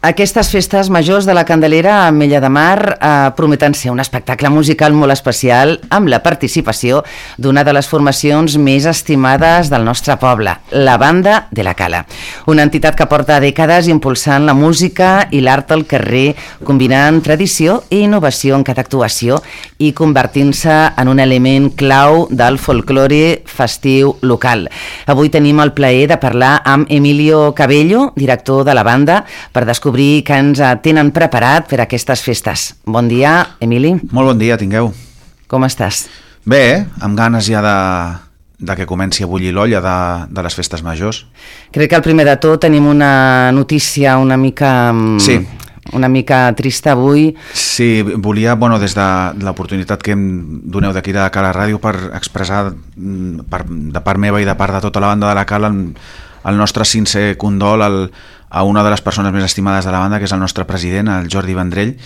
Aquestes festes majors de la Candelera a Ametlla de Mar prometen ser un espectacle musical molt especial amb la participació d'una de les formacions més estimades del nostre poble, la Banda de la Cala. Una entitat que porta dècades impulsant la música i l'art al carrer, combinant tradició i innovació en cada actuació i convertint-se en un element clau del folklore festiu local. Avui tenim el plaer de parlar amb Emilio Cabello, director de la banda, per descobrir que ens tenen preparat per aquestes festes. Bon dia, Emili. Molt bon dia, tingueu. Com estàs? Bé, amb ganes ja de que comenci a bullir l'olla de les festes majors. Crec que al primer de tot tenim una notícia una mica... Sí. Una mica trista avui. Sí, volia, des de l'oportunitat que em doneu d'aquí de Cala Ràdio per expressar de part meva i de part de tota la banda de la Cala el nostre sincer condol a una de les persones més estimades de la banda, que és el nostre president, el Jordi Vendrell,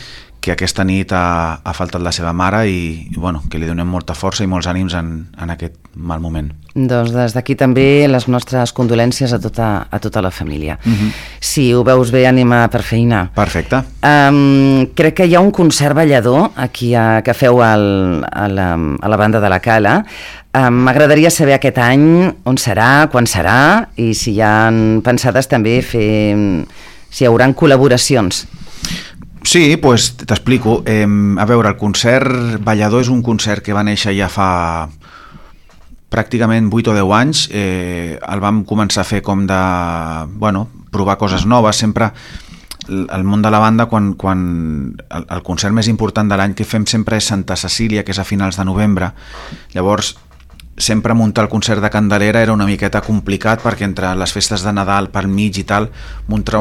que aquesta nit ha faltat la seva mare i que li donem molta força i molts ànims en aquest mal moment. Doncs des d'aquí també les nostres condolències a tota la família. Si ho veus bé, anima per feina. Perfecte. Crec que hi ha un concert ballador aquí que feu a la Banda de la Cala. M'agradaria saber aquest any on serà, quan serà i si hi ha pensades també si hi haurà col·laboracions. Sí, doncs t'explico. A veure, el concert ballador és un concert que va néixer ja fa pràcticament 8 o 10 anys. El vam començar a fer com de, provar coses noves. Sempre el món de la banda, quan el concert més important de l'any que fem sempre és Santa Cecília, que és a finals de novembre. Llavors, sempre muntar el concert de Candelera era una miqueta complicat perquè entre les festes de Nadal pel mig i tal, muntar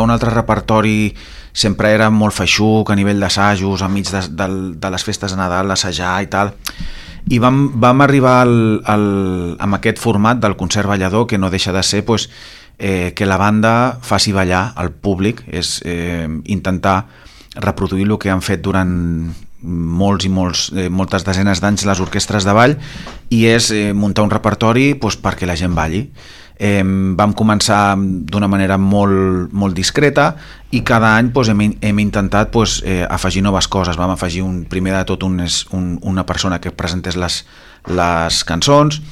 un altre repertori sempre era molt feixuc a nivell d'assajos, enmig de les festes de Nadal, assajar i tal. I vam arribar amb aquest format del concert ballador, que no deixa de ser que la banda faci ballar al públic, és intentar reproduir el que han fet durant moltes desenes d'anys les orquestres de ball, i és muntar un repertori perquè la gent balli. Vam començar d'una manera molt discreta i cada any hem intentat afegir noves coses. Vam afegir primer de tot una persona que presentés les cançons,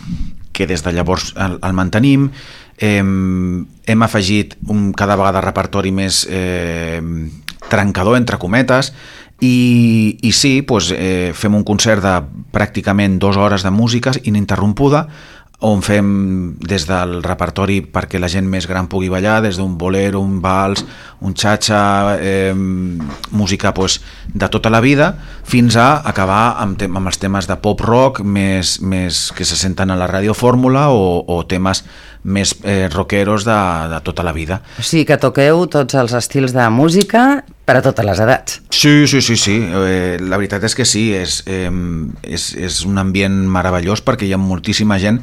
que des de llavors el mantenim. Hem afegit cada vegada repertori més trencador, entre cometes, i sí, fem un concert de pràcticament 2 hores de música ininterrompuda, on fem des del repertori perquè la gent més gran pugui ballar, des d'un bolero, un vals, un cha-cha, música de tota la vida, fins a acabar amb els temes de pop-rock més que se senten a la radiofórmula o temes més rockeros de tota la vida. O sigui que toqueu tots els estils de música per a totes les edats. Sí. La veritat és que sí, és un ambient meravellós perquè hi ha moltíssima gent.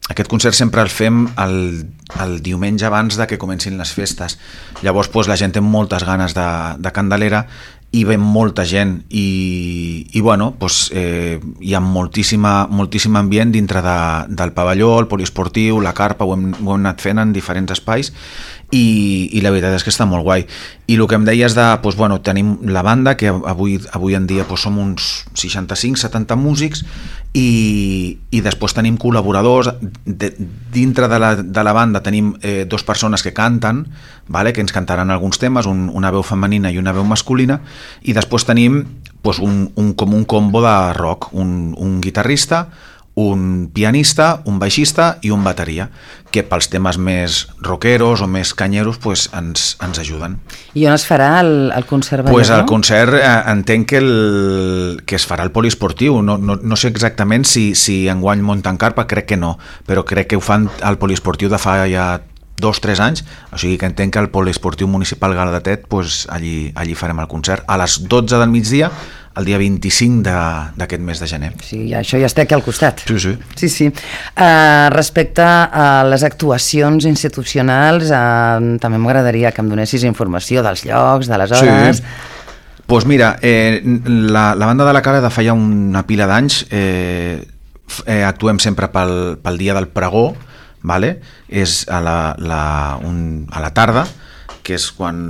Aquest concert sempre el fem el diumenge abans de que comencin les festes. Llavors la gent té moltes ganes de Candelera i ve molta gent i hi ha moltíssim ambient dintre del pavelló, el poliesportiu, la carpa, ho hem anat fent en diferents espais i la veritat és que està molt guai. I el que em deies tenim la banda, que avui en dia som uns 65-70 músics i després tenim col·laboradors. Dintre de la banda tenim 2 persones que canten, que ens cantaran alguns temes, una veu femenina i una veu masculina, i després tenim com un combo de rock, un guitarrista, un pianista, un baixista i un bateria, que pels temes més rockeros o més canyeros ens ajuden. I on es farà el concert ballador? El concert entenc que es farà al poliesportiu. No sé exactament si enguany munten carpa, crec que no, però crec que ho fan al poliesportiu de fa ja 2-3 anys, o sigui que entenc que al poliesportiu municipal Galdatet allí farem el concert a les 12 del migdia, el dia 25 d'aquest mes de gener. Sí, això ja està aquí al costat. Sí. Respecte a les actuacions institucionals, també m'agradaria que em donessis informació dels llocs, de les hores. Sí. Mira, la Banda de la Cala de fa ja una pila d'anys actuem sempre pel dia del pregó, és a la tarda, que és quan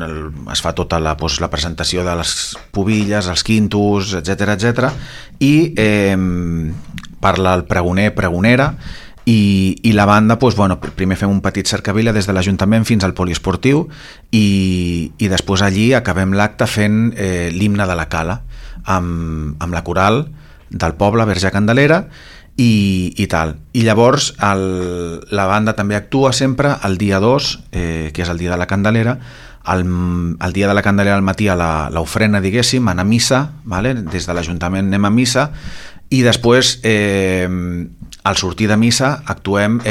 es fa tota la presentació de les pubilles, els quintos, etc, i parla el pregoner, pregonera, i la banda, primer fem un petit cercavila des de l'Ajuntament fins al poliesportiu i després allí acabem l'acte fent l'himne de la Cala amb la coral del poble Verge Candelera i tal. I llavors la banda també actua sempre el dia 2, que és el dia de la Candelera. El dia de la Candelera al matí a l'ofrena, diguéssim, anar a missa, vale? Des de l'Ajuntament anem a missa i després al sortir de missa actuem,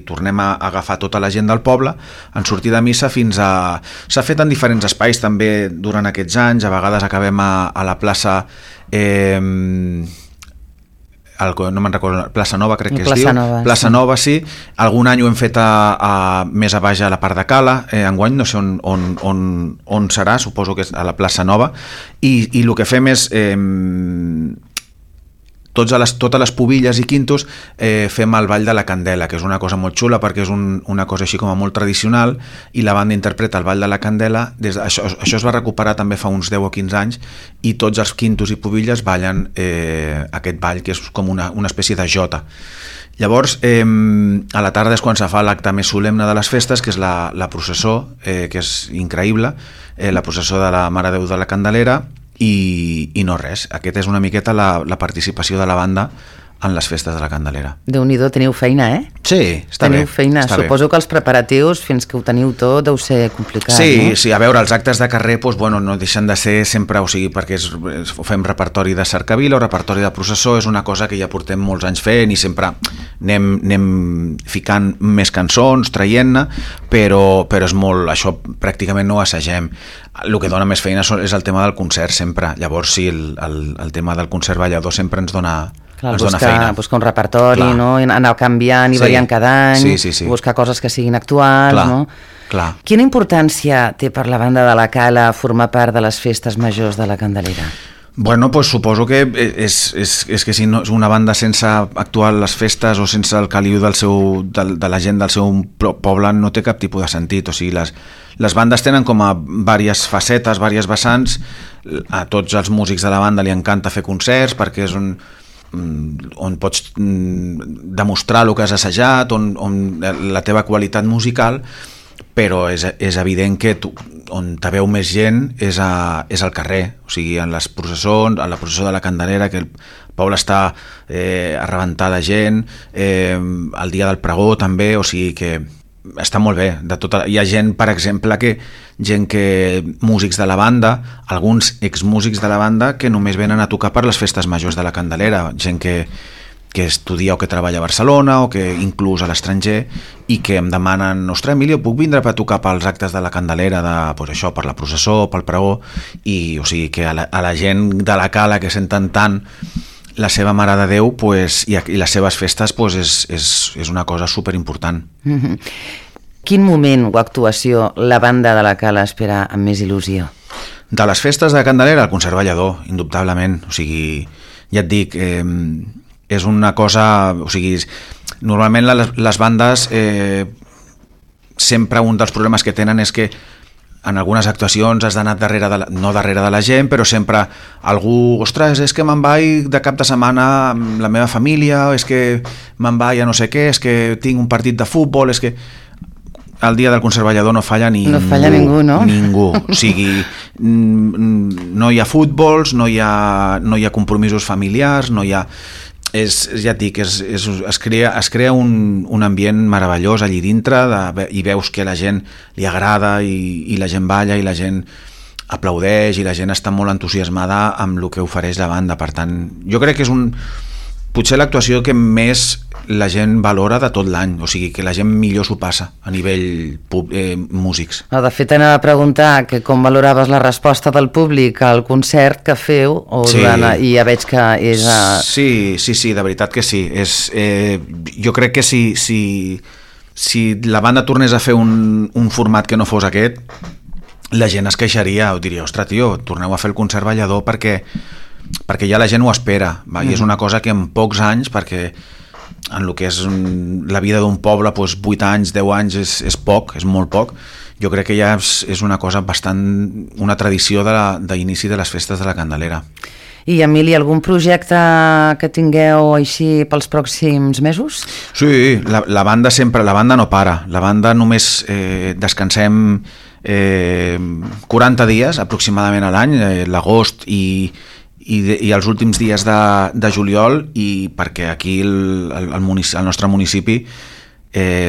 tornem a agafar tota la gent del poble en sortir de missa fins a... S'ha fet en diferents espais també durant aquests anys, a vegades acabem a la plaça... no me'n recordo, Plaça Nova crec que es diu, Plaça Nova, sí. Algun any ho hem fet més a baix a la part de Cala, enguany no sé on serà, suposo que és a la Plaça Nova, i el que fem és totes les pubilles i quintos fem el ball de la Candela, que és una cosa molt xula perquè és una cosa així com a molt tradicional, i la banda interpreta el ball de la Candela. Això es va recuperar també fa uns 10 o 15 anys, i tots els quintos i pubilles ballen aquest ball, que és com una espècie de jota. Llavors, a la tarda és quan se fa l'acte més solemne de les festes, que és la processó, que és increïble, la processó de la Mare de Déu de la Candelera, i no res. Aquest és una miqueta la participació de la banda en les festes de la Candelera. Déu-n'hi-do, teniu feina, Sí, està bé. Teniu feina. Suposo que els preparatius, fins que ho teniu tot, deu ser complicat, no? Sí, a veure, els actes de carrer no deixen de ser sempre, perquè fem repertori de cercavila o repertori de processó, és una cosa que ja portem molts anys fent i sempre anem ficant més cançons, traient-ne, però és molt, això pràcticament no ho assagem. El que dona més feina és el tema del concert sempre. Llavors sí, el tema del concert ballador sempre ens dona... Clar, buscar un repertori, no? Anar canviant i variant cada any, buscar coses que siguin actuals, no? Clar. Quina importància té per la banda de la Cala formar part de les festes majors de la Candelera? Bueno, pues suposo que és que si no és una banda sense actuar a les festes o sense el caliu de la gent del seu poble no té cap tipus de sentit. O sigui, les bandes tenen com a diverses facetes, diverses vessants. A tots els músics de la banda li encanta fer concerts perquè és on pots demostrar el que has assajat, on la teva qualitat musical, però és evident que on te veu més gent és al carrer, o sigui, en les processons, en la processó de la Candelera, que el poble està a rebentar de gent, el dia del pregó també, o sigui que està molt bé. Hi ha gent, per exemple, músics de la banda, alguns exmúsics de la banda que només venen a tocar per les festes majors de la Candelera, gent que estudia o que treballa a Barcelona o que inclús a l'estranger, i que em demanen: ostres, Emilio, puc vindre per tocar pels actes de la Candelera, per la processó, pel pregó? I o sigui que a la gent de la Cala que senten tant la seva Mare de Déu, i les seves festes, és una cosa superimportant. Quin moment o actuació la banda de la Cala espera amb més il·lusió? De les festes de Candelera, el concert ballador, indubtablement. O sigui, ja et dic, és una cosa... O sigui, normalment les bandes sempre un dels problemes que tenen és que en algunes actuacions has d'anar no darrere de la gent, però sempre algú: ostres, és que me'n vaig de cap de setmana amb la meva família, és que me'n vaig a no sé què, és que tinc un partit de futbol, és que... El dia del concert ballador no falla ningú. No falla ningú, no? Ningú. O sigui, no hi ha futbols, no hi ha compromisos familiars, no hi ha... Ja et dic, es crea un ambient meravellós allí dintre, i veus que a la gent li agrada, i la gent balla, i la gent aplaudeix, i la gent està molt entusiasmada amb el que ofereix la banda. Per tant, jo crec que és potser l'actuació que més la gent valora de tot l'any, o sigui, que la gent millor s'ho passa a nivell músics. De fet, anava a preguntar que com valoraves la resposta del públic al concert que feu, i ja veig que és... Sí, de veritat que sí. Jo crec que si la banda tornés a fer un format que no fos aquest, la gent es queixaria, o diria: ostres, tio, torneu a fer el concert ballador perquè ja la gent ho espera, i és una cosa que en pocs anys, perquè en el que és la vida d'un poble, 8 anys, 10 anys és poc, és molt poc, jo crec que ja és una cosa bastant, una tradició d'inici de les festes de la Candelera. I, Emili, algun projecte que tingueu així pels pròxims mesos? Sí, la banda no para. La banda només descansem 40 dies aproximadament a l'any, l'agost i els últims dies de juliol, i perquè aquí al nostre municipi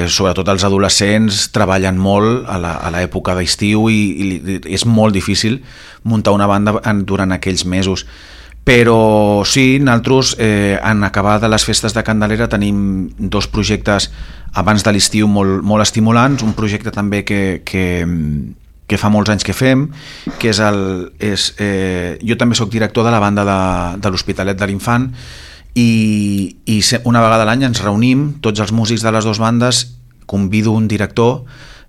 sobretot els adolescents treballen molt a l'època d'estiu i és molt difícil muntar una banda durant aquells mesos. Però sí, nosaltres en acabar de les festes de Candelera tenim 2 projectes abans de l'estiu molt estimulants, un projecte també que fa molts anys que fem, que jo també sóc director de la banda de l'Hospitalet de l'Infant, i una vegada a l'any ens reunim tots els músics de les 2 bandes, convido un director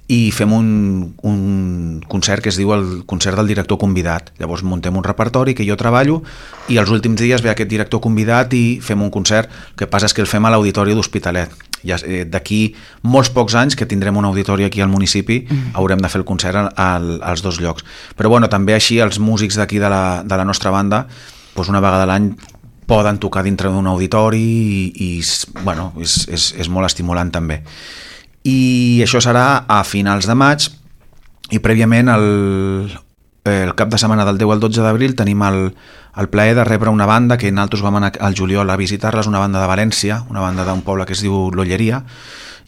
i fem un concert que es diu el concert del director convidat. Llavors muntem un repertori que jo treballo i els últims dies ve aquest director convidat i fem un concert. El que passa és que el fem a l'Auditori d'Hospitalet. D'aquí molts pocs anys que tindrem un auditori aquí al municipi, haurem de fer el concert als 2 llocs. Però bueno, també així els músics d'aquí de la nostra banda, doncs una vegada a l'any poden tocar dintre d'un auditori i bueno, és molt estimulant també. I això serà a finals de maig, i prèviament el cap de setmana del 10 al 12 d'abril tenim el plaer de rebre una banda que nosaltres vam anar al juliol a visitar-les, una banda de València, una banda d'un poble que es diu l'Olleria,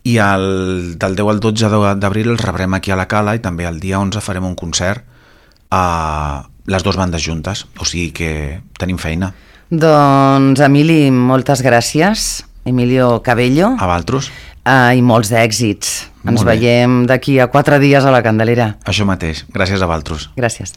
i del 10 al 12 d'abril els rebrem aquí a la Cala, i també el dia 11 farem un concert a les 2 bandes juntes, o sigui que tenim feina. Doncs, Emili, moltes gràcies. Emilio Cabello. A vosaltres. I molts d'èxits. Ens veiem d'aquí a 4 dies a la Candelera. Això mateix. Gràcies a vosaltres. Gràcies.